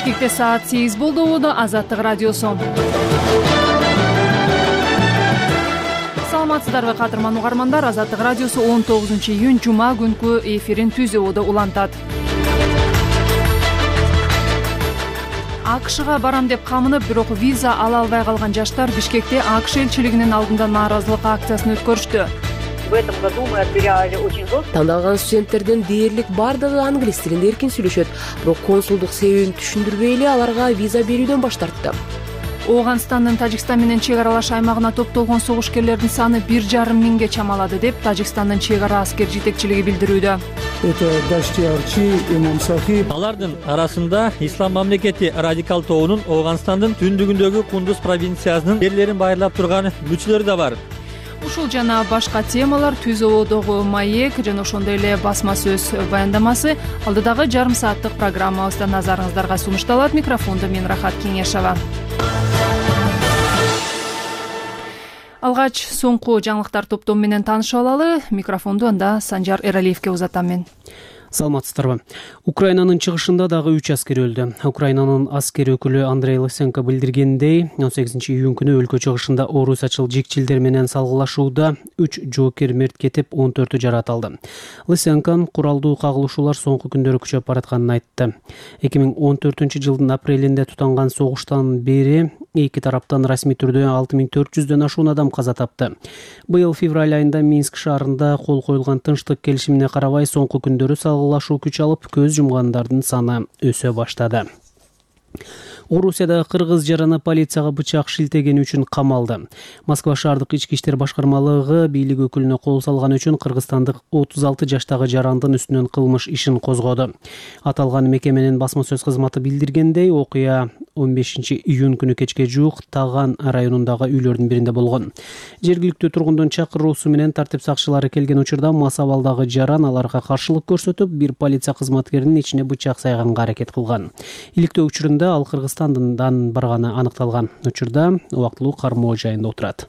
Бишкекте саат 8 болду. Азаттык радиосу. Саламатсыздарбы кадырман угармандар. Азаттык радиосу 19-июнь жума күнкү эфирин түзүүдө улантат. АКШга барам деп камынып, бирок виза ала албай калган жаштар Бишкекте АКШ элчилигинин алдында нааразылык акциясын өткөрүштү. В этом году мы отбирали очень жестко. Тандалган студенттердин дээрлик бардыгы англис тилинде эркин сүйлөшөт, бирок консулдук себебин түшүндүрбөй эле аларга виза берүүдөн баш тартты. Ооганстандын Тажикстан менен чек аралаш аймагына топтолгон согушкерлердин саны 1,5 миңге чамалады деп Тажикстандын чек ара аскер жетекчилиги билдирүүдө. Алардын арасында Ислам мамлекети радикал тобунун Ооганстандын түндүгүндөгү Кундуз провинциясынын жерлерин байырлап турган мүчөлөрү да бар. Ушул жана башка темалар түзүүдөгү маек жана ошондой эле басма сөз баяндамасы алдыдагы жарым сааттык программабызда назарыңыздарга сунушталат. Микрофондо мен Рахат Кеңешова. Алгач соңку жаңылыктар топтому менен таанышып алалы. Микрофонду анда Санжар Эралиевке узатам мен. Саламатсыздарбы. Украинанын чыгышында дагы 3 аскер өлдү. Украинанын аскер өкүлү Андрей Лысенко билдиргендей, 18-июнь күнү өлкө чыгышында орусачыл жикчилдер менен салгылашууда 3 жоокер мерт кетип, 14-ü жарат алды. Лысенко куралдуу кагылышуулар соңку күндөрү күчөп баратканын айтты. 2014-жылдын апрелинде тутанган согуштан бери эки тараптан расмий түрдө 6400дөн ашуун адам каза тапты. Быйыл февраль айында Минск шаарында кол коюлган тынчтык келишимине карабай соңку күндөрү салгылашуу күч алып, көз жумгандардын саны өсө баштады. Орусияда кыргыз жараны полицияга бычак шилтегени үчүн камалды. Москва шаардык ички иштер башкармалыгы бийлик өкүлүнө кол салган үчүн кыргызстандык 36 жаштагы жарандын үстүнөн кылмыш ишин козгоду. Аталган мекеменин басма сөз кызматы билдиргендей, окуя 15-июнь күнү кечке жуук Таган районундагы үйлөрдүн биринде болгон. Жергиликтүү тургундун чакыруусу менен тартип сакчылары келген учурда мас абалдагы жаран аларга каршылык көрсөтүп, бир полиция кызматкеринин ичине бычак сайганга аракет кылган. Иликтөө учурунда ал Кыргызстандан барганы аныкталган. Учурда убактылуу кармоо жайында отурат.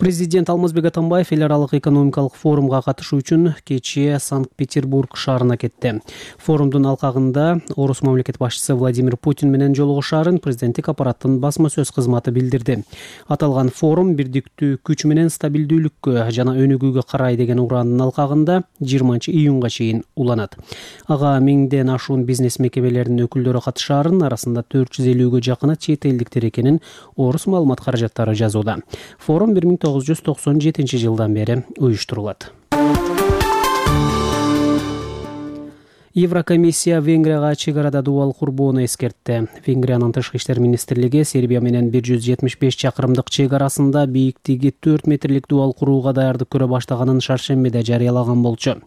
Президент Алмазбек Атамбаев эл аралык экономикалык форумга катышуу үчүн кечээ Санкт-Петербург шаарына кетти. Форумдун алкагында Орус мамлекет башчысы Владимир Путин менен жолугушаарын президенттик аппараттын басма сөз кызматы билдирди. Аталган форум бирдиктүү күч менен стабилдүүлүккө жана өнүгүүгө карай деген ураандын алкагында 20-июнга чейин уланат. Ага миңден ашуун бизнес мекемелеринин өкүлдөрү катышаарын, арасында 450-гө жакыны чет элдиктер экенин Орус маалымат каражаттары жазууда. Форум 1997 бери уюштурулат. Еврокомиссия Венгрияга чек арада дубал курбоону эскертти. Венгриянын тышкы иштер министрлиги Сербия менен 175 чакырымдык чек арасында бийиктиги 4 метрлик дубал курууга даярдык көрө баштаганын шаршембиде жарыялаган болчу.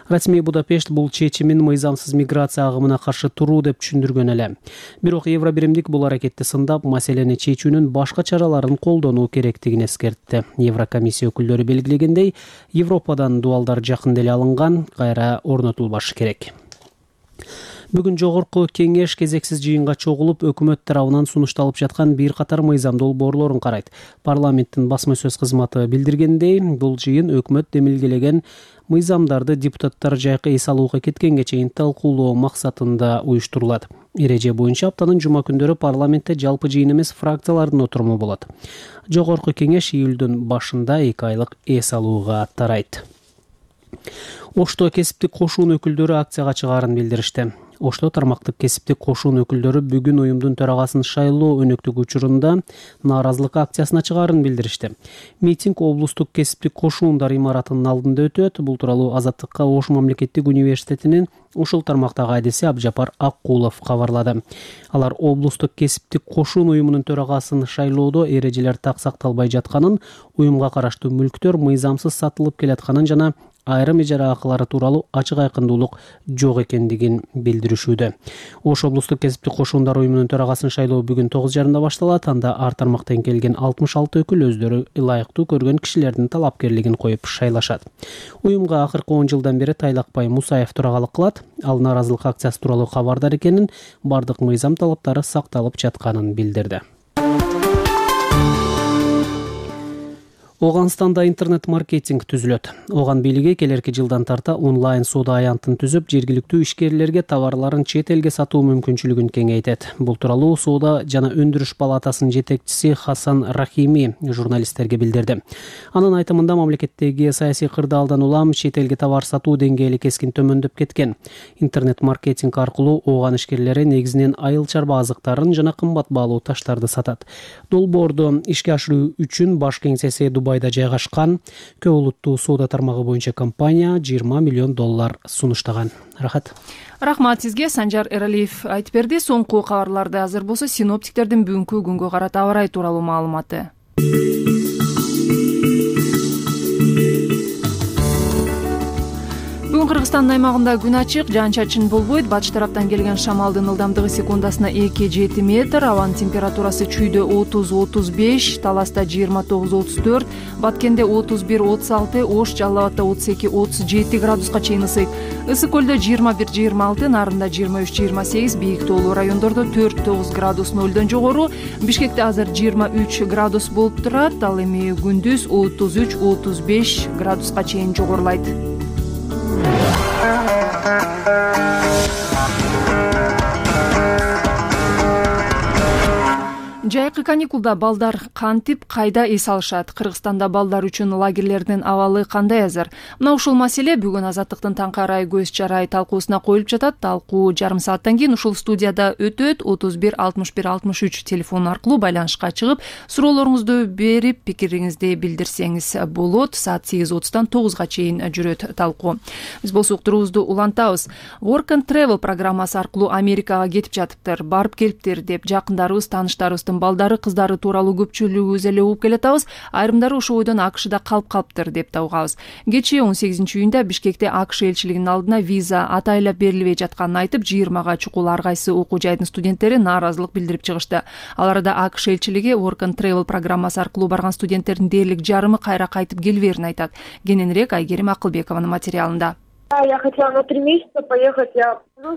Расмий Будапешт бул чечимин мыйзамсыз миграция агымына каршы туруу деп түшүндүргөн эле. Бирок Евробиримдик бул аракетти сындап, маселени чечүүнүн башка чараларын колдонуу керектигин эскертти. Еврокомиссия өкүлдөрү белгилегендей, Европадан дубалдар жакында эле алынган, кайра орнотулбашы керек. Бүгүн жогорку кеңеш кезексиз жыйынга чогулуп, өкмөт тарабынан сунушталып жаткан бир катар мыйзам долбоорлорун карайт. Парламенттин басма сөз кызматы билдиргендей, бул жыйын өкмөт демилгелеген мыйзамдарды депутаттар жайкы эс алууга кеткенге чейин талкуулоо максатында уюштурулат. Эреже боюнча аптанын жума күндөрү парламентте жалпы жыйын эмес, фракциялардын отуруму болот. Жогорку кеңеш июлдун башында 2 айлык эс алууга тарайт. Ошто кесиптик кошуун өкүлдөрү акцияга чыгаарын билдиришти. Ошто тармактык кесиптик кошуун өкүлдөрү бүгүн уюмдун төрагасын шайлоо өнөктүк учурунда нааразылык акциясына чыгаарын билдиришти. Митинг облустук кесиптик кошуундар имаратынын алдында өтөт. Бул тууралуу Азаттыкка Ош мамлекеттик университетинин ушул тармактагы адиси Абжапар Аккулов кабарлады. Алар облустук кесиптик кошуун уюмунун төрагасын шайлоодо эрежелер так сакталбай жатканын, уюмга караштуу мүлктөр мыйзамсыз сатылып келатканын жана айрым ижара акылары тууралуу ачык айкындуулук жок экендигин билдиришүүдө. Ош облустук кесиптик кошуундар уюмунун төрагасын шайлоо бүгүн 9:30 башталат. Анда ар тармактан келген 66 өкүл өздөрү ылайыктуу көргөн кишилердин талапкерлигин коюп шайлашат. Уюмга акыркы 10 жылдан бери Тайлакбай Мусаев турагалык кылат. Ал нааразылык акциясы тууралуу кабардар экенин, бардык мыйзам талаптары сакталып жатканын билдирди. Ооганстанда интернет-маркетинг түзүлөт. Ооган бийлиги келерки жылдан тарта онлайн соода аянтын түзүп, жергиликтүү ишкерлерге товарларын чет элге сатуу мүмкүнчүлүгүн кеңейтет. Бул тууралуу Соода жана өндүрүш палатасынын жетекчиси Хасан Рахими журналисттерге билдирди. Анын айтымында мамлекеттеги саясий кырдаалдан улам чет элге товар сатуу деңгээли кескин төмөндөп кеткен. Интернет-маркетинг аркылуу ооган ишкерлери негизинен айыл чарба азыктарын жана кымбат баалуу таштарды сатат. Долбоорду ишке ашыруу үчүн баш кеңсеси Дубайда жайгашкан көп улуттуу соода тармагы боюнча компания $20 миллион сунуштаган. Рахмат сизге, Санжар Эралиев айтып берди. Соңку кабарларды азыр болсо синоптиктердин бүгүнкү күнгө карата аба ырайы тууралуу маалыматы. Бүгүн Кыргызстандын аймагында күн ачык, жаан-чачын болбойт. Батыш тараптан келген шамалдын ылдамдыгы секундасына 2-7 метр, абанын температурасы чүйдө 30-35, Таласта 29-34, Баткенде 31-36, Ош, Жалал Абадда 32-37 градуска чейин ысыйт. Ысык көлдө 21-26, Нарында 23-28, бийик тоолуу райондордо 4-9 градус нөлдөн жогору. Бишкекте азыр 23 градус болуп турат, ал эми күндүз 33-35 градуска чейин жогорулайт. Жайкы каникулда балдар кантип, кайда эс алышат? Кыргызстанда балдар үчүн лагерлердин абалы кандай азыр? Мына ушул маселе бүгүн Азаттыктын таңкы арай көз чарай талкуусуна коюлуп жатат. Талкуу жарым сааттан кийин ушул студияда өтөт. 31-61-63 телефон аркылуу байланышка чыгып, суроолоруңузду берип, пикириңизди билдирсеңиз болот. Саат 8:30-дан 9-га чейин жүрөт талкуу. Биз болсо уктуруубузду улантабыз. Work and Travel программасы аркылуу Америкага кетип жатыптыр, барып келиптир деп жакындарыбыз, тааныштарыбыздын балдары, кыздары тууралуу көпчүлүгүбүз эле угуп келатабыз. Айрымдары ошол ойдон AQShда калыптыр деп да угабыз. Кечээ 18-июнда Бишкекте AQSh элчилигинин алдына виза атайлап берилбей жатканын айтып, 20га чукул ар кайсы окуу жайдын студенттери нааразылык билдирип чыгышты. Ал арада AQSh элчилиги Work and Travel программасы аркылуу барган студенттердин дээрлик жарымы кайра кайтып келбээрин айтат. Кененирээк Айгерим Акылбекованын материалында. Я хотела на 3 месяца поехать.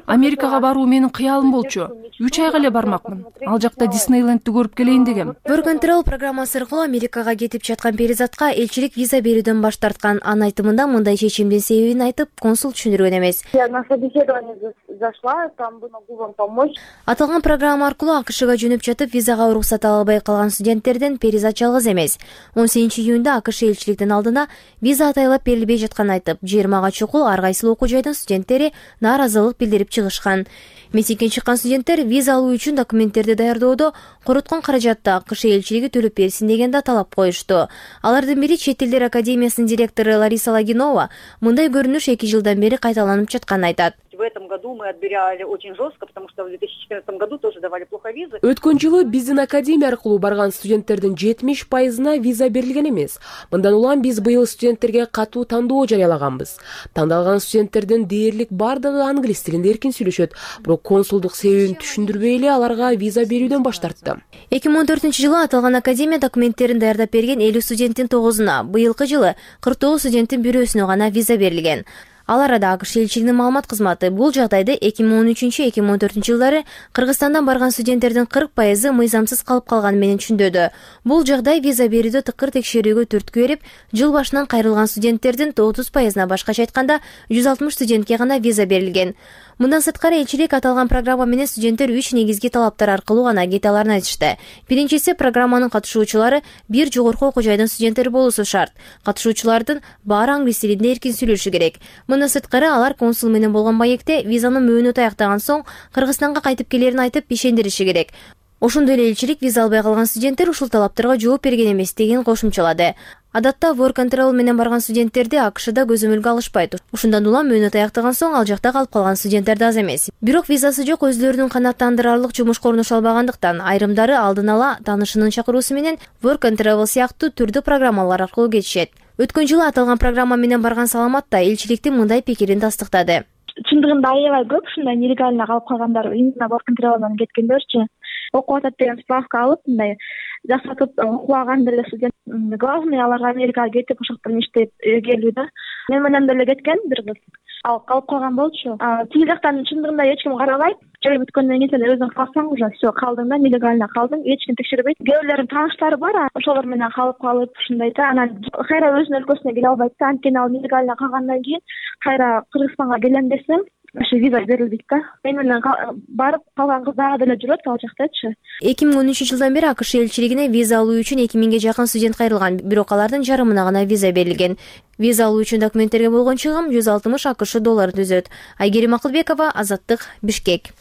Америкага баруу менин кыялым болчу. 3 айга эле бармакмын. Ал жакта Диснейлендти көрүп келейин дегем. Work and Travel программасы аркылуу Америкага кетип жаткан перизатка элчилик виза берүүдөн баш тарткан. Анын айтымында мындай чечимдин себебин айтып, консул түшүндүргөн эмес. Я на собеседование зашла, там могу вам помочь. Аталган программа аркылуу AQShга жөнөп жатып, визага уруксат ала албай калган студенттерден перизат жалгыз эмес. 18-июнда AQSh элчиликтин алдына виза атайлап берилбей жатканын айтып, 20га чукул ар кайсы окуу жайдын студенттери нааразылык билдирип чыгышкан. Митингке чыккан студенттер виза алуу үчүн документтерди даярдоодо короткон каражатты AQSh элчилиги төлөп берсин деген да талап коюшту. Алардын бири Чет элдер академиясынын директору Лариса Лагинова мындай көрүнүш 2 жылдан бери кайталанып жатканын айтат. В этом году мы отбирали очень жестко, потому что в 2014 году тоже давали плохо визы. Өткөн жылы биздин академия аркылуу барган студенттердин 70%-на виза берилген эмес. Мындан улам биз быйыл студенттерге катуу тандоо жарыялаганбыз. Тандалган студенттердин дээрлик бардыгы англис тилинде эркин сүйлөшөт, бирок консулдук себебин түшүндүрбөй эле аларга виза берүүдөн баш тартты. 2014-жылы аталган академия документтерин даярдап берген 50 студенттин 9-уна, быйылкы жылы 49 студенттин бирөөсүнө гана виза берилген. Ал арада AQSh элчилигинин маалымат кызматы бул жагдайды 2013-2014 жылдары Кыргызстандан барган студенттердин 40% мыйзамсыз калып калганы менен түшүндүрдү. Бул жагдай виза берүүдө тыкыр текшерүүгө түрткү берип, жыл башынан кайрылган студенттердин 30%-на башкача айтканда 160 студентке гана виза берилген. Мындан сырткары элчилик аталган программа менен студенттер 3 негизги талаптар аркылуу гана кете аларын айтышты. Биринчиси, программанын катышуучулары бир жогорку окуу жайдын студенттери болуусу шарт. Катышуучулардын баары англис тилинде эркин сүйлөшү керек. Мындан сырткары алар консул менен болгон маекте визанын мөөнөтү аяктаган соң Кыргызстанга кайтып келерин айтып ишендириши керек. Ошондой эле элчилик виза албай калган студенттер ушул талаптарга жооп берген эмес деген кошумчалады. Адатта Work and Travel менен барган студенттерди AQShда көзөмөлгө алышпайт. Ушундан улам мөөнөт аяктаган соң ал жакта калып калган студенттер да аз эмес. Бирок визасы жок, өзлөрүнүн канааттандырарлык жумушка орношо албагандыктан айрымдары алдын ала таанышынын чакыруусу менен Work and Travel сыяктуу түрдүү программалар аркылуу кетишет. Өткөн жылы аталган программа менен барган Саламат да элчиликтин мындай пикирин тастыктады. Чындыгында аябай көп ушундай нелегально калып калгандар, именно Work and Travel'дан кеткендерчи. Окуп атат деген справка алып, мындай жасатып окуган деле студент. Главный аларга Америкага кетип, ошол жактан иштеп келүү да. Мен менен деле кеткен бир кыз. Ал калып калган болчу. Тиги жактан чындыгында эч ким карабайт. жай бүткөндөн кийин сен өзүң калсаң уже все калдың да, нелегально калдың, эч ким текшербейт. Кээ бирлердин тааныштары бар, ошолор менен калып ушундай да, анан кайра өзүнүн өлкөсүнө келе албайт да, анткени ал нелегально калгандан кийин кайра Кыргызстанга келем десем ошо виза берилбейт да. Мен менен барып калган кыз дагы деле жүрөт ал жактачы. 2013 жылдан бери АКШ элчилигине виза алуу үчүн 2000ге жакын студент кайрылган, бирок алардын жарымына гана виза берилген. Виза алуу үчүн документтерге болгон чыгым 160 АКШ доллар түзөт. Айгерим Акылбекова, Азаттык, Бишкек.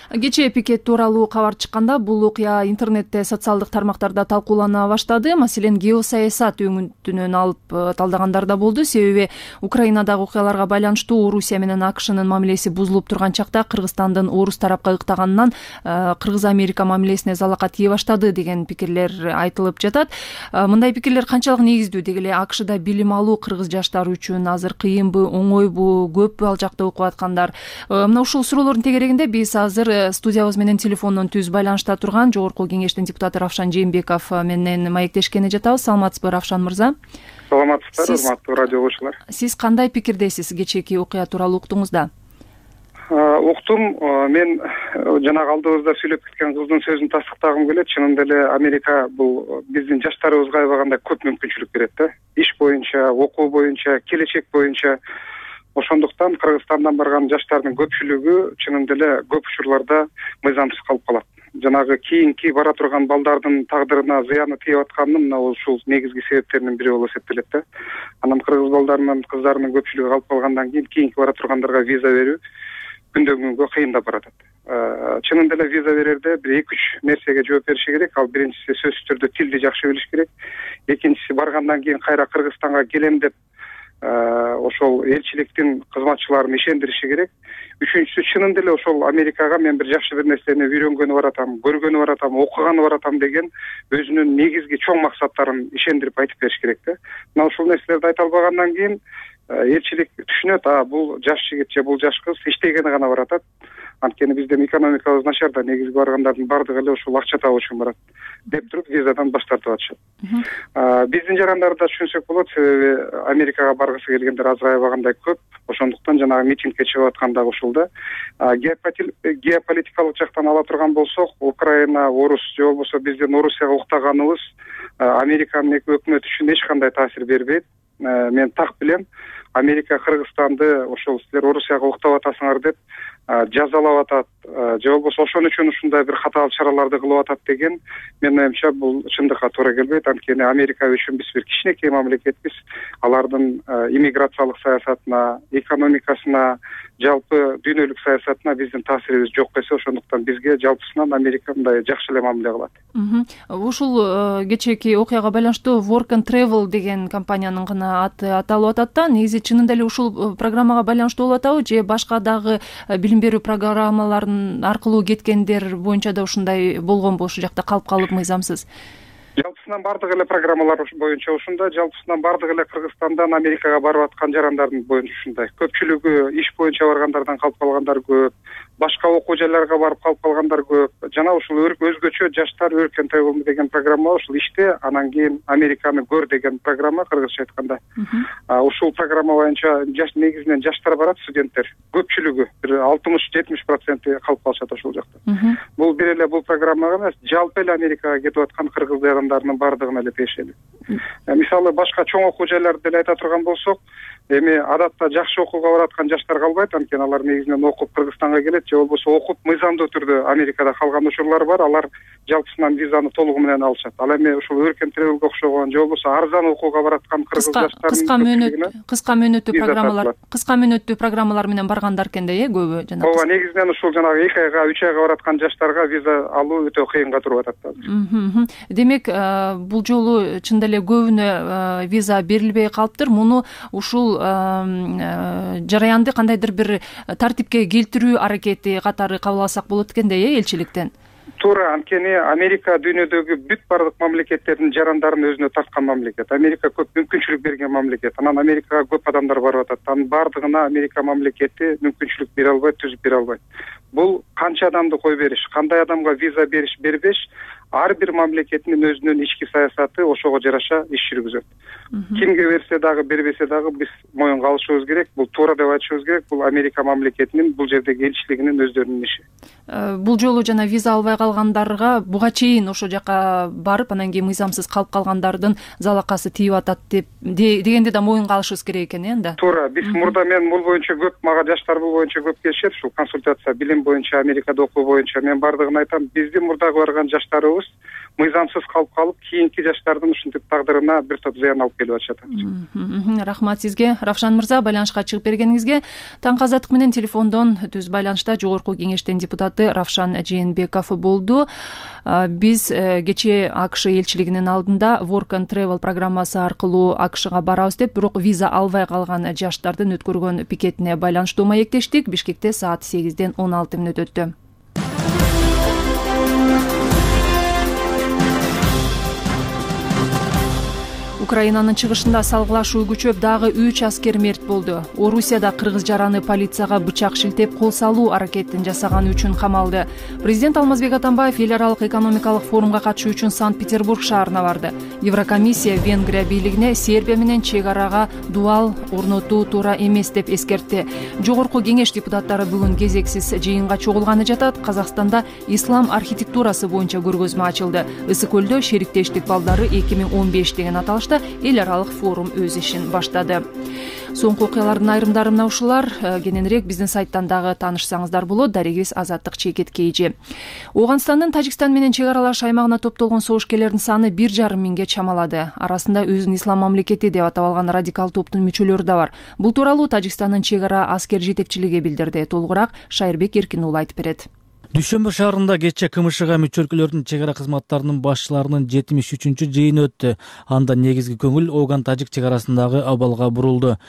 Кечээ пикет тууралуу кабар чыкканда бул окуя интернетте, социалдык тармактарда талкуулана баштады. Маселен, геосаясат өңүтүнөн алып талдагандар да болду. Себеби Украинадагы окуяларга байланыштуу Орусия менен АКШнын мамилеси бузулуп турган чакта Кыргызстандын орус тарапка ыктаганынан Кыргыз-Америка мамилесине залака тие баштады деген пикирлер айтылып жатат. Мындай пикирлер канчалык негиздүү? Деги эле АКШда билим алуу кыргыз жаштары үчүн азыр кыйынбы, оңойбу, көппү ал жакта окуп аткандар? Мына ушул суроолордун тегерегинде биз азыр студиябыз менен телефондон түз байланышта турган Жогорку Кеңештин депутаты Равшан Жээнбеков менен маектешкени жатабыз. Саламатсызбы, Равшан мырза? Саламатсыздар, урматтуу радио окуучулар. Сиз кандай пикирдесиз кечээки окуя тууралуу уктуңуз да? Уктум. Мен жанагы алдыбызда сүйлөп кеткен кыздын сөзүн тастыктагым келет. Чынында эле Америка бул биздин жаштарыбызга аябагандай көп мүмкүнчүлүк берет да. Иш боюнча, окуу боюнча, келечек боюнча. Ошондуктан Кыргызстандан барган жаштардын көпчүлүгү чынында эле көп учурларда мыйзамсыз калып калат. Жанагы кийинки бара турган балдардын тагдырына зыяны тийип атканын мына ушул негизги себептеринин бири болуп эсептелет да. Анан кыргыз балдарынын, кыздарынын көпчүлүгү калып калгандан кийин кийинки бара тургандарга виза берүү күндөн күнгө кыйындап баратат. Чынында эле виза берерде бир 2-3 нерсеге жооп бериши керек. Ал биринчиси сөзсүз түрдө тилди жакшы билиш керек. Экинчиси баргандан кийин кайра Кыргызстанга келем деп ошол элчиликтин кызматчыларын ишендириши керек. Үчүнчүсү, чынында эле ошол Америкага мен бир жакшы бир нерсени үйрөнгөнү баратам, көргөнү баратам, окуганы баратам деген өзүнүн негизги чоң максаттарын ишендирип айтып бериш керек да. Мына ушул нерселерди айта албагандан кийин элчилик түшүнөт, бул жаш жигит же бул жаш кыз иштегени гана баратат. Анткени биздин экономикабыз начар да, негизги баргандардын бардыгы эле ушул акча табуу үчүн барат деп туруп визадан баш тартып атышат. Биздин жарандарды да түшүнсөк болот, себеби Америкага баргысы келгендер азыр аябагандай көп. Ошондуктан жанагы митингке чыгып аткан дагы ушул да. Геополитикалык жактан ала турган болсок, Украина, Орус же болбосо биздин Орусияга уктаганыбыз Американын өкмөтү үчүн эч кандай таасир бербейт. Мен так билем, Америка Кыргызстанды ошол силер Орусияга уктап атасыңар деп жазалап атат, же болбосо ошон үчүн ушундай бир катаал чараларды кылып атат деген менин оюмча бул чындыкка туура келбейт. Анткени Америка үчүн биз бир кичинекей мамлекетпиз. Алардын иммиграциялык саясатына, экономикасына, жалпы дүйнөлүк саясатына биздин таасирибиз жок эсе. Ошондуктан бизге жалпысынан Америка мындай жакшы эле мамиле кылат. Ушул кечээки окуяга байланыштуу Work and Travel деген компаниянын гана аты аталып атат да. Негизи чынында эле ушул программага байланыштуу болуп атабы же башка дагы билим берүү программаларынын аркылуу кеткендер боюнча да ушундай болгонбу, ошол жакта калып мыйзамсыз? Жалпысынан бардык эле программалар боюнча ушундай, жалпысынан бардык эле Кыргызстандан Америкага барып аткан жарандардын боюнча ушундай. Көпчүлүгү иш боюнча баргандардан калып калгандар көп, башка окуу жайларга барып калып калгандар көп. Жана ушул өзгөчө жаштар Work and Travel деген программа ушул иште, анан кийин Американы көр деген программа кыргызча айтканда. Ушул программа боюнча негизинен жаштар барат, студенттер. Көпчүлүгү бир 60-70% калып калышат ошол жакта. Бул бир эле бул программага эмес, жалпы эле Америкага кетип аткан кыргыз жарандарынын бардыгына эле тиешелүү. Мисалы башка чоң окуу жайларды деле айта турган болсок, эми адатта жакшы окууга бараткан жаштар калбайт, анткени алар негизинен окуп Кыргызстанга келет же болбосо окуп мыйзамдуу түрдө Америкада калган учурлар бар. Алар жалпысынан визаны толугу менен алышат. Ал эми ушул Work and Travel'ге окшогон же болбосо арзан окууга бараткан кыргыз жаштардын кыска мөөнөттүү программалар менен баргандар экен да, көбү жана. Ооба, негизинен ушул жанагы 2 айга, 3 айга бараткан жаштарга виза алуу өтө кыйынга туруп атат да. Демек, бул жолу чында эле көбүнө виза берилбей калыптыр. Муну ушул жараянды кандайдыр бир тартипке келтирүү аракети катары кабыл алсак болот экен да, элчиликтен. Туура, анткени Америка дүйнөдөгү бүт бардык мамлекеттердин жарандарын өзүнө тарткан мамлекет. Америка көп мүмкүнчүлүк берген мамлекет. Анан Америкага көп адамдар барып атат. Анын бардыгына Америка мамлекети мүмкүнчүлүк бере албайт, түзүп бере албайт. Бул канча адамды кой бериш, кандай адамга виза бериш, бербеш ар бир мамлекеттин өзүнүн ички саясаты ошого жараша иш жүргүзөт. Кимге берсе дагы бербесе дагы биз моюнга алышыбыз керек. Бул туура деп айтышыбыз керек. Бул Америка мамлекетинин бул жердеги элчилигинин өздөрүнүн иши. Бул жолу жана виза албай калгандарга буга чейин ошол жака барып анан кийин мыйзамсыз калып калгандардын залакасы тийип атат дегенди да моюнга алышыбыз керек экен да. Туура. Биз мурда мен бул боюнча көп, мага жаштар бул боюнча көп келишет. Ушул консультация билим боюнча, Америкада окуу боюнча мен бардыгын айтам. Биздин мурдагы барган жаштарыбыз мыйзамсыз калып кийинки жаштардын ушинтип тагдырына бир топ зыян алып келип атышат. Рахмат сизге, Равшан мырза, байланышка чыгып бергениңизге. Таңкы азаттык менен телефондон түз байланышта Жогорку Кеңештин депутаты Равшан Жээнбеков болду. Биз кечээ АКШ элчилигинин алдында Work and Travel программасы аркылуу АКШга барабыз деп, бирок виза албай калган жаштардын өткөргөн пикетине байланыштуу маектештик. Бишкекте саат 8-ден 16 өттү. Украинанын чыгышында салгылашуу күчөп, дагы 3 аскер мерт болду. Орусияда кыргыз жараны полицияга бычак шилтеп кол салуу аракетин жасаганы үчүн камалды. Президент Алмазбек Атамбаев эл аралык экономикалык форумга катышуу үчүн Санкт-Петербург шаарына барды. Еврокомиссия Венгрия бийлигине Сербия менен чек арага дуал орнотуу туура эмес деп эскертти. Жогорку Кеңеш депутаттары бүгүн кезексиз жыйынга чогулганы жатат. Казакстанда ислам архитектурасы боюнча көргөзмө ачылды. Ысык көлдө шериктештик балдары 2015 деген аталышта эл аралык форум өз ишин баштады. Соңку окуялардын айрымдары мына ушулар. Кененирээк биздин сайттан дагы таанышсаңыздар болот. Дарегибиз Азаттык Чекет Кейжи. Оганстандын Тажикстан менен чек аралаш аймагына топтолгон согушкерлердин саны 1,5 миңге чамалады. Арасында өзүн ислам мамлекети деп атап алган радикал топтун мүчөлөрү да бар. Бул тууралуу Тажикстандын чек ара аскер жетекчилиги билдирди. Толугураак Шайырбек Эркин уулу айтып берет. Дүйшөмбү шаарында кечээ КМШга мүчө өлкөлөрдүн чек ара кызматтарынын башчыларынын 73-чү жыйыны өттү. Анда негизги көңүл Оган-Тажик чек арасындагы абалга бурулду.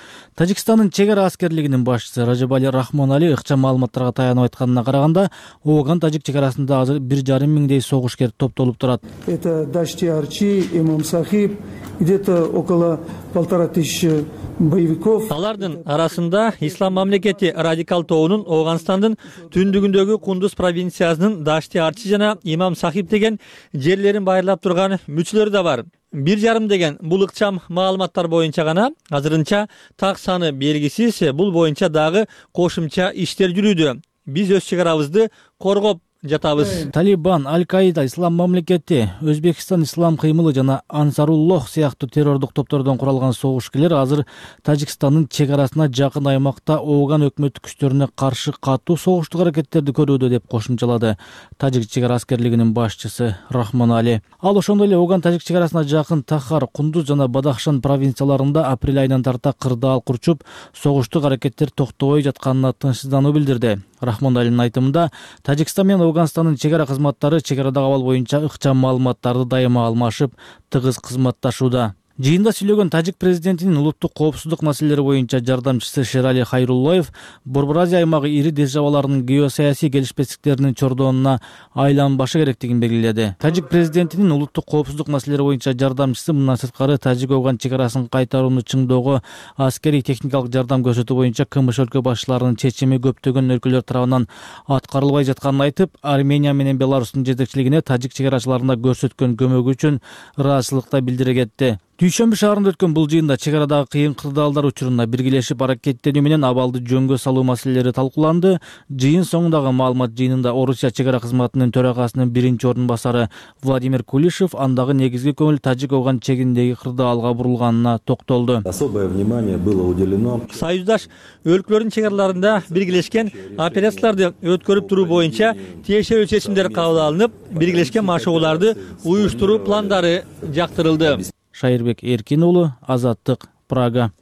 Тажикстандын чек ара аскерлигинин башчысы Ражабали Рахмонали ыкчам маалыматтарга таянып айтканына караганда, Оган-Тажик чек арасында азыр 1,5 миңдей согушкер топтолуп турат. Это Дашти Арчи, Имам Сахиб, где-то около 1500 боевиков. Алардын арасында ислам мамлекети радикал тобунун Оганстандын түндүгүндөгү Кундуз провинциясынын Дашти Арчи жана Имам Сахиб деген жерлерин байырлап турган мүчөлөр да бар. 1,5 деген бул ыкчам маалыматтар боюнча гана, азырынча так саны белгисиз. Бул боюнча дагы кошумча иштер жүрүүдө. Биз өз чек арабызды коргоп жатабыз. Талибан, Аль-Каида, Ислам мамлекети, Өзбекстан ислам кыймылы жана Ансаруллох сыяктуу террордук топтордон куралган согушкерлер азыр Тажикстандын чек арасына жакын аймакта Оган өкмөттүк күчтөрүнө каршы катуу согуштук аракеттерди көрүүдө деп кошумчалады Тажик чек ара аскерлигинин башчысы Рахмонали. Ал ошондой эле Оган-Тажик чек арасына жакын Тахар, Кундуз жана Бадахшан провинцияларында апрель айынан тарта кырдаал курчуп, согуштук аракеттер токтобой жатканына тынчсыздануу билдирди. Рахмоналинин айтымында, Тажикстан менен Оганстандын чек ара кызматтары чек арадагы абал боюнча ыкчам маалыматтарды дайыма алмашып, тыгыз кызматташууда. Жыйында сүйлөгөн тажик президентинин улуттук коопсуздук маселелери боюнча жардамчысы Шерали Хайруллоев Борбор Азия аймагы ири державаларынын геосаясий келишпестиктеринин чордонуна айланбашы керектигин белгиледи. Тажик президентинин улуттук коопсуздук маселелери боюнча жардамчысы мындан сырткары Тажик-Оган чек арасын кайтарууну чыңдоого аскерий техникалык жардам көрсөтүү боюнча КМШ өлкө башчыларынын чечими көптөгөн өлкөлөр тарабынан аткарылбай жатканын айтып, Армения менен Беларустун жетекчилигине тажик чек арачыларына көрсөткөн көмөгү үчүн ыраазычылык да билдире кетти. Дүйшөмбү шаарында өткөн бул жыйында чек арадагы кыйын кырдаалдар учурунда биргелешип аракеттенүү менен абалды жөнгө салуу маселелери талкууланды. Жыйын соңундагы маалымат жыйынында Орусия чек ара кызматынын төрагасынын биринчи ордун басары Владимир Кулишев андагы негизги көңүл Тажик-Оган чегиндеги кырдаалга бурулганына токтолду. Особое внимание было уделено Союздаш өлкөлөрдүн чек араларында биргелешкен операцияларды өткөрүп туруу боюнча тиешелүү чечимдер кабыл алынып, биргелешкен машыгууларды уюштуруу пландары жактырылды. Шайырбек Эркин уулу, Азаттык, Прага.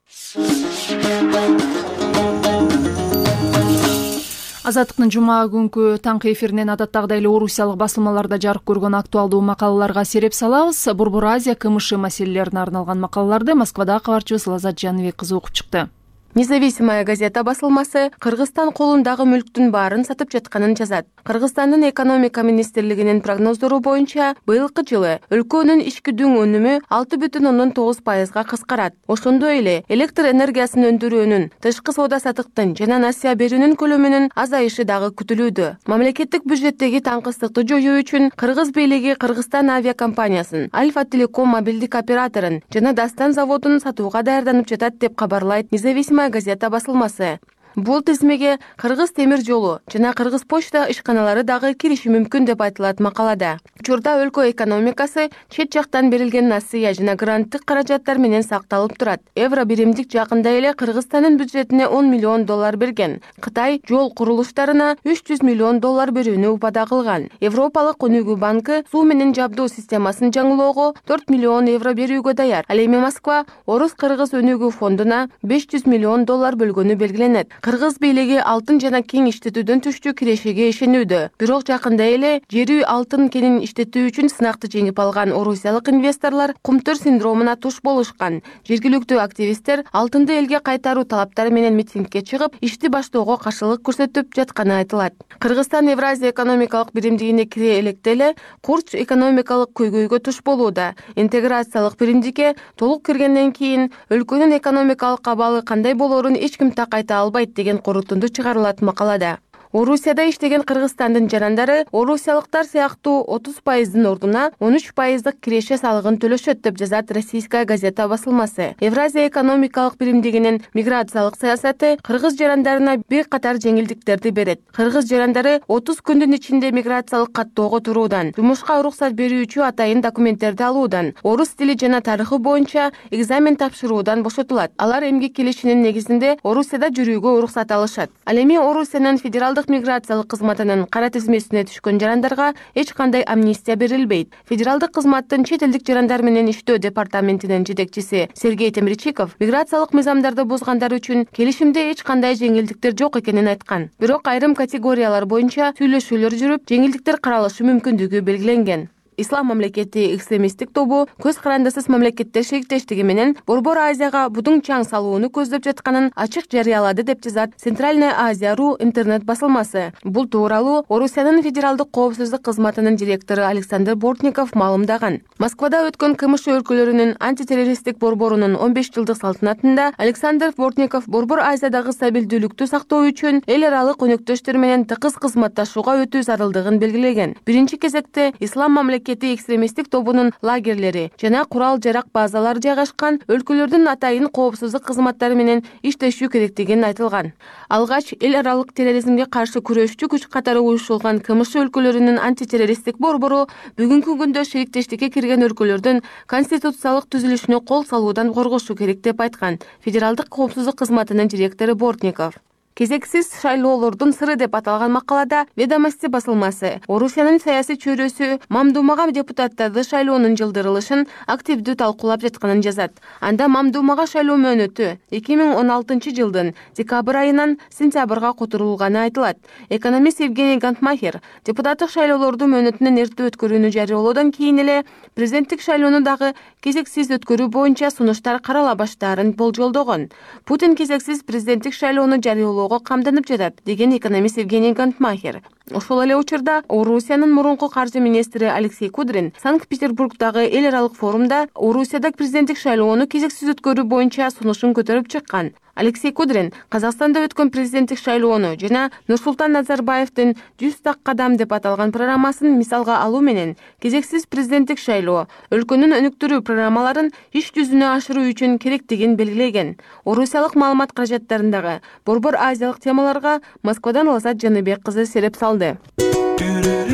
Азаттыктын жума күнкү таңкы эфиринен адаттагыдай эле орусиялык басылмаларда жарык көргөн актуалдуу макалаларга сереп салабыз. Борбор Азия КМШ маселелерине арналган макалаларды Москвадагы кабарчыбыз Лазат Жаныбек кызы окуп чыкты. Независимая газета басылмасы Кыргызстан колундагы мүлктүн баарын сатып жатканын жазат. Кыргызстандын экономика министрлигинин прогноздору боюнча быйылкы жылы өлкөнүн ички-дүң өнүмү 6,9%га кыскарат. Ошондой эле электр энергиясын өндүрүүнүн, тышкы соода-саттыктын жана насыя берүүнүн көлөмүнүн азайышы дагы күтүлүүдө. Мамлекеттик бюджеттеги таңкыстыкты жоюу үчүн Кыргыз бийлиги Кыргызстан авиакомпаниясын, Альфа Телеком мобилдик операторун жана Дастан заводун сатууга даярданып жатат деп кабарлайт Независимая газета басылмасы. Бул тизмеге Кыргыз темир жолу жана Кыргыз почта ишканалары дагы кириши мүмкүн деп айтылат макалада. Учурда өлкө экономикасы чет жактан берилген насыя жана гранттык каражаттар менен сакталып турат. Евро биримдик жакында эле Кыргызстандын бюджетине $10 миллион берген. Кытай жол курулуштарына $300 миллион берүүнү убада кылган. Европалык өнүгүү банкы суу менен жабдуу системасын жаңылоого €4 миллион берүүгө даяр. Ал эми Москва Орус-Кыргыз өнүгүү фондуна $500 миллион бөлгөнү белгиленет. Кыргыз бийлиги алтын жана кең иштетүүдөн түштүү кирешиге ишенүүдө. Бирок жакында эле жерүү алтын кенин иштетүү үчүн сынакты жеңип алган орусиялык инвесторлор кумтөр синдромуна туш болушкан. Жергиликтүү активисттер алтынды элге кайтаруу талаптары менен митингге чыгып, ишти баштоого каршылык көрсөтүп жатканы айтылат. Кыргызстан Евразия экономикалык биримдигине кире электе эле курч экономикалык көйгөйгө туш болууда. Интеграциялык биримдикке толук киргенден кийин өлкөнүн экономикалык абалы кандай болорун эч ким так айта албайт деген корутунду чыгарылат макалада. Орусияда иштеген Кыргызстандын жарандары орусиялыктар сыяктуу 30%-дын ордуна 13%-дык киреше салыгын төлөшөт деп жазат Российская газета басылмасы. Евразия экономикалык биримдигинин миграциялык саясаты кыргыз жарандарына бир катар жеңилдиктерди берет. Кыргыз жарандары 30 күндүн ичинде миграциялык каттоого туруудан, жумушка уруксат берүүчү атайын документтерди алуудан, орус тили жана тарыхы боюнча экзамен тапшыруудан бошотулат. Алар эмгек келишинин негизинде Орусияда жүрүүгө уруксат алышат. Ал эми Орусиянын федералдык миграциялык кызматынын кара тизмесине түшкөн жарандарга эч кандай амнистия берилбейт. Федералдык кызматтын чет элдик жарандар менен иштөө департаментинин жетекчиси Сергей Темирчиков миграциялык мыйзамдарды бузгандар үчүн келишимде эч кандай жеңилдиктер жок экенин айткан. Бирок айрым категориялар боюнча сүйлөшүүлөр жүрүп, жеңилдиктер каралышы мүмкүндүгү белгиленген. Ислам мамлекети экстремисттик тобу көз карандысыз мамлекеттер шериктештиги менен Борбор Азияга будуң чаң салууну көздөп жатканын ачык жарыялады деп жазат Центральная Азия.ру интернет басылмасы. Бул тууралуу Орусиянын федералдык коопсуздук кызматынын директору Александр Бортников маалымдаган. Москвада өткөн КМШ өлкөлөрүнүн антитеррористтик борборунун 15 жылдык салтанатында Александр Бортников Борбор Азиядагы стабилдүүлүктү сактоо үчүн эл аралык өнөктөштөр менен тыгыз кызматташууга өтүү зарылдыгын белгилеген. Биринчи кезекте Ислам мамлекети экстремисттик тобунун лагерлери жана курал-жарак базалары жайгашкан өлкөлөрдүн атайын коопсуздук кызматтары менен иштешүү керектигин айтылган. Алгач эл аралык терроризмге каршы күрөшчү күч катары уюштурулган КМШ өлкөлөрүнүн антитеррористтик борбору бүгүнкү күндө шериктештикке кирген өлкөлөрдүн конституциялык түзүлүшүнө кол салуудан коргошу керек деп айткан федералдык коопсуздук кызматынын директору Бортников. Кезексиз шайлоолордун сыры деп аталган макалада Ведомости басылмасы Орусиянын саясий чөйрөсү Мамдумага депутаттарды шайлоонун жылдырылышын активдүү талкуулап жатканын жазат. Анда Мамдумага шайлоо мөөнөтү 2016 жылдын декабрь айынан сентябрга которулганы айтылат. Экономист Евгений Гантмахер депутаттык шайлоолорду мөөнөтүнөн эрте өткөрүүнү жарыялоодон кийин эле президенттик шайлоону дагы кезексиз өткөрүү боюнча сунуштар карала баштаарын болжолдогон. Путин кезексиз президенттик шайлоону жарыялоо камданып жатат деген экономист Евгений Гантмахер. Ошол эле учурда Орусиянын мурунку каржы министри Алексей Кудрин Санкт-Петербургдагы эл аралык форумда Орусияда президенттик шайлоону кезексиз өткөрүү боюнча сунушун көтөрүп чыккан. Алексей Кудрин Казакстанда өткөн президенттик шайлоону жана Нурсултан Назарбаевдин 100 так кадам деп аталган программасын мисалга алуу менен кезексиз президенттик шайлоо өлкөнүн өнүктүрүү программаларын иш жүзүнө ашыруу үчүн керектигин белгилеген. Орусиялык маалымат каражаттарындагы Борбор Азиялык темаларга Москвадан Лазат Жаныбек кызы сереп салды.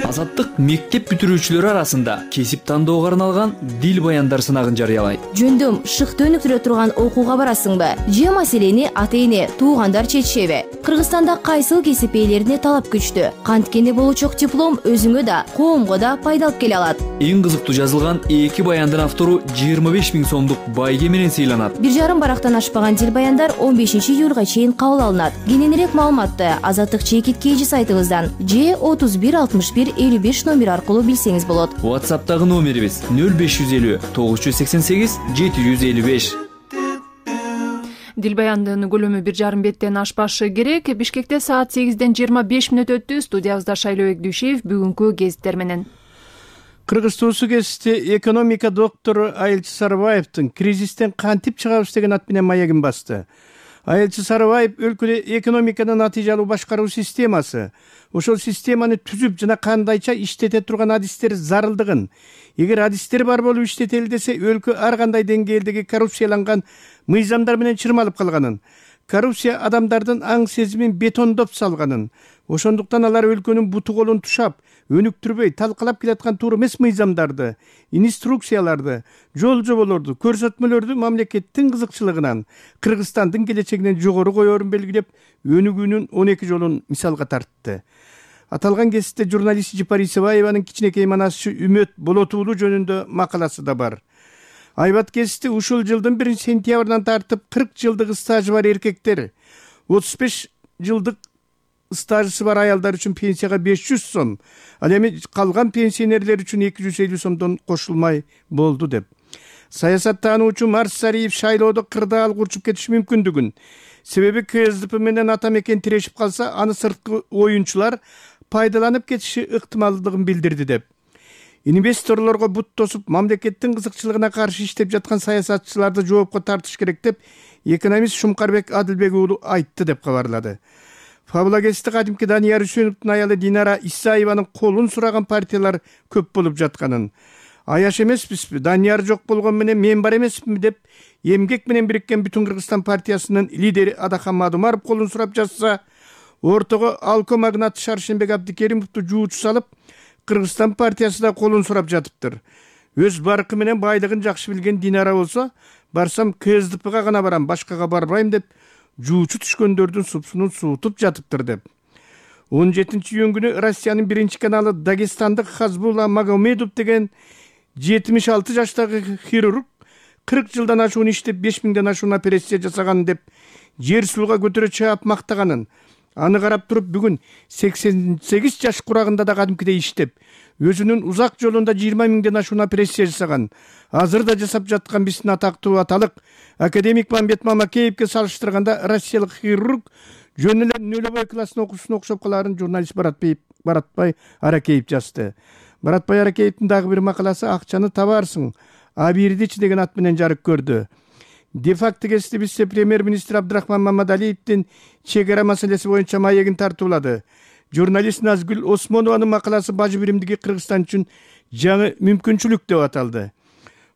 Азаттык мектеп бүтүрүүчүлөрү арасында кесип тандоого арналган дил баяндар сынагын жарыялайт. Жөндөм шыкты өнүктүрө турган окууга барасыңбы? Же маселени ата-эне, туугандар чечишеби? Кыргызстанда кайсыл кесип ээлерине талап күчтүү? Канткени болучок диплом өзүңө да, коомго да пайда алып келе алат. Эң кызыктуу жазылган 2 баяндын автору 25 000 сомдук байге менен сыйланат. 1,5 барактан ашпаган дил баяндар 15 июлга чейин кабыл алынат. Кененирээк маалыматты Азаттык чекит KG сайтыбыздан же 31 61 55 номер аркылуу билсеңиз болот. WhatsApp'тагы номерибиз 0550 988 755. Дилбаяндын көлөмү 1,5 беттен ашпашы керек. Бишкекте саат 8-ден 25 мүнөт өттү. Студиябызда Шайлообек Дүйшеев бүгүнкү гезиттер менен. Кыргыз Туусу гезити экономика доктору Айылчы Сарыбаевдин кризистен кантип чыгабыз деген ат менен маегин басты. Айылчы Сарыбаев өлкөдө экономиканын натыйжалуу башкаруу системасы, ошол системаны түзүп жана кандайча иштете турган адистер зарылдыгын, эгер адистер бар болуп иштетели десе өлкө ар кандай деңгээлдеги коррупцияланган мыйзамдар менен чырмалып калганын, коррупция адамдардын аң сезимин бетондоп салганын, ошондуктан алар өлкөнүн буту колун тушап, өнүктүрбөй талкалап келаткан туура эмес мыйзамдарды, инструкцияларды, жол жоболорду, көрсөтмөлөрдү мамлекеттин кызыкчылыгынан, Кыргызстандын келечегинен жогору коерун белгилеп, өнүгүүнүн 12 жолун мисалга тартты. Аталган гезитте журналист Жипар Исебаеванын кичинекей манасчы Үмөт Болотуулу жөнүндө макаласы да бар. Айбат гезити ушул жылдын 1-сентябрынан тартып 40 жылдык стажы бар эркектер, 35 жылдык стажысы бар аялдар үчүн пенсияга 500 сом, ал эми калган пенсионерлер үчүн 250 сомдон кошулмай болду деп. Саясаттануучу Марс Сариев шайлоодо кырдаал курчуп кетиши мүмкүндүгүн, себеби КСДП менен ата мекен тирешип калса, аны сырткы оюнчулар пайдаланып кетиши ыктымалдыгын билдирди деп. Инвесторлорго бут тосуп, мамлекеттин кызыкчылыгына каршы иштеп жаткан саясатчыларды жоопко тартыш керек деп экономист Шумкарбек Адылбек уулу айтты деп кабарлады. Фабула гезити кадимки Данияр Үсөновдун аялы Динара Исаеванын колун сураган партиялар көп болуп жатканын, аяш эмеспизби, Данияр жок болгон менен мен бар эмесминби деп эмгек менен бириккен Бүтүн Кыргызстан партиясынын лидери Адахан Мадумаров колун сурап жатса, ортого Алко магнаты Шаршенбек Абдикеримовду жуучу салып, Кыргызстан партиясы да колун сурап жатыптыр. Өз баркы менен байлыгын жакшы билген Динара болсо, барсам КСДПга гана барам, башкага барбайм деп жуучу түшкөндөрдүн супсунун суутуп жатыптыр деп. 17-июнь күнү Россиянын 1 каналы Дагестандык Хазбулла Магомедов деген 76 жаштагы хирург 40 жылдан ашуун иштеп 5000ден ашуун операция жасаган деп жер сууга көтөрө чаап мактаганын, аны карап туруп бүгүн 88 жаш курагында да кадимкидей иштеп, өзүнүн узак жолунда 20.000ден ашуун операция жасаган, азыр да жасап жаткан биздин атактуу аталык академик Мамбет Мамакеевке салыштырганда россиялык хирург жөн эле нөлөбөй класстын окуучусуна окшоп калаарын журналист Баратбай Аракеев жазды. Баратбай Аракеевдин дагы бир макаласы «Акчаны табарсың, абирдичи» деген ат менен жарык көрдү. Де-факто гезити бизде премьер-министр Абдрахман Мамадалиевдин чегара маселеси боюнча маегин тартуулады. Журналист Назгүл Осмонованын макаласы бажы биримдиги Кыргызстан үчүн жаңы мүмкүнчүлүк деп аталды.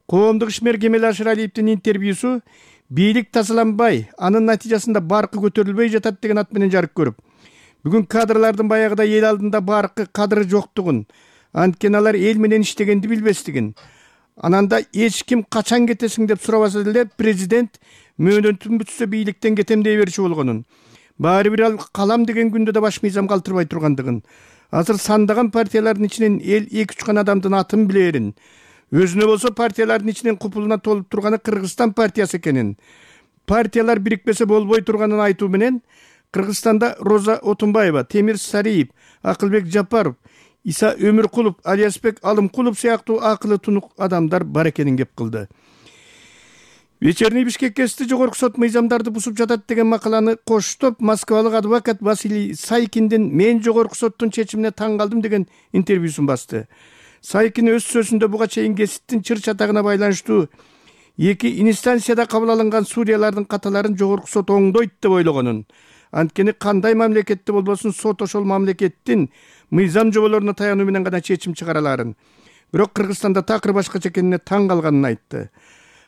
Коомдук ишмер Кемел Ашыралиевдин интервьюсу бийлик тазаланбай, анын натыйжасында баркы көтөрүлбөй жатат деген ат менен жарык көрүп, бүгүн кадрлардын баягыда эл алдында баркы кадыры жоктугун, анткени алар эл менен иштегенди билбестигин, ананда эч ким качан кетесиң деп сурабаса деле президент мөөнөтүн бүтсө бийликтен кетем дей берчү болгонун, баары бир ал калам деген күндө да баш мыйзам калтырбай тургандыгын, азыр сандаган партиялардын ичинен эл 2-3 гана адамдын атын билерин, өзүнө болсо партиялардын ичинен купулуна толуп турганы Кыргызстан партиясы экенин, партиялар бирикпесе болбой турганын айтуу менен Кыргызстанда Роза Отунбаева, Темир Сариев, Акылбек Жапаров, Иса Өмүркулов, Алиасбек Алымкулов сыяктуу акылы тунук адамдар бар экенин кеп кылды. Вечерний Бишкек гезити жогорку сот мыйзамдарды бузуп жатат деген макаланы коштоп, москвалык адвокат Василий Сайкиндин «Мен жогорку соттун чечимине таң калдым» деген интервьюсун басты. Сайкин өз сөзүндө буга чейин гезиттин чыр чатагына байланыштуу 2 инстанцияда кабыл алынган судьялардын каталарын жогорку сот оңдойт деп ойлогонун, анткени кандай мамлекетте болбосун сот ошол мамлекеттин мыйзам жоболоруна таянуу менен гана чечим чыгара аларын. Бирок Кыргызстанда такыр башкача экенине таң калганын айтты.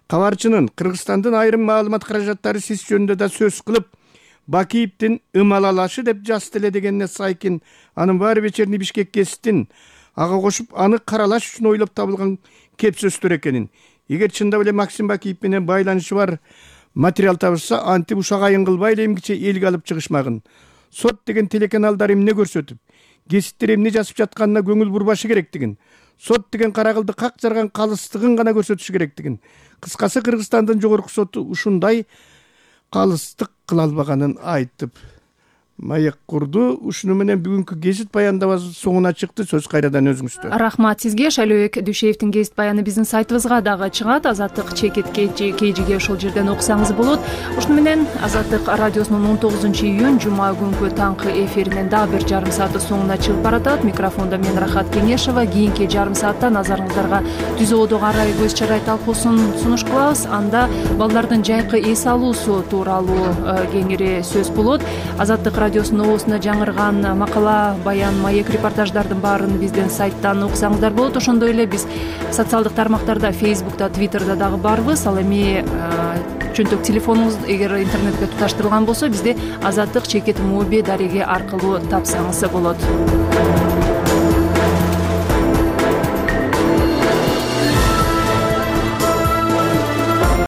Кабарчынын Кыргызстандын айрым маалымат каражаттары сиз жөнүндө да сөз кылып, Бакиевдин ымалалашы деп жазды эле дегенине Сайкин анын баары Вечерний Бишкек гезитин ага кошуп аны каралаш үчүн ойлоп табылган кеп сөздөр экенин, эгер чындап эле Максим Бакиев менен байланышы бар материал табышса, антип ушак айын кылбай эле эмгиче элге алып чыгышмагын. Сот деген телеканалдар эмне көрсөтүп, гезиттер эмне жазып жатканына көңүл бурбашы керектигин, сот деген каракылды как жарган калыстыгын гана көрсөтүш керектигин, кыскасы Кыргызстандын жогорку соту ушундай калыстык кыла албаганын айтып, Маек курду. Ушуну менен бүгүнкү гезит баяндабасы соңуна чыкты. Сөз кайрадан өзүңүздө. Рахмат сизге. Шайлообек Дүйшеевдин гезит баяны биздин сайтыбызга дагы чыгат. Азаттык чекит KG ошол жерден окусаңыз болот. Ушуну менен Азаттык радиосунун 19-июнь жума күнкү таңкы эфиринен дагы бир жарым сааты соңуна чыгып баратат. Микрофондо мен Рахат Кеңешова. Кийинки жарым саатта назарыңыздарга Түз Ободогу арай көз чарай талкуусун сунуш кылабыз. Анда балдардын жайкы эс алуусу тууралуу кеңири сөз болот. Азаттык радиосунун оосунда жаңырган макала, баян, маек, репортаждардын баарын биздин сайттан окусаңыздар болот. Ошондой эле биз социалдык тармактарда, Facebook'та, Twitter'да дагы барбыз. Ал эми чөнтөк телефонуңуз эгер интернетке туташтырылган болсо, бизди Азаттык чекит моби дареги аркылуу тапсаңыз болот.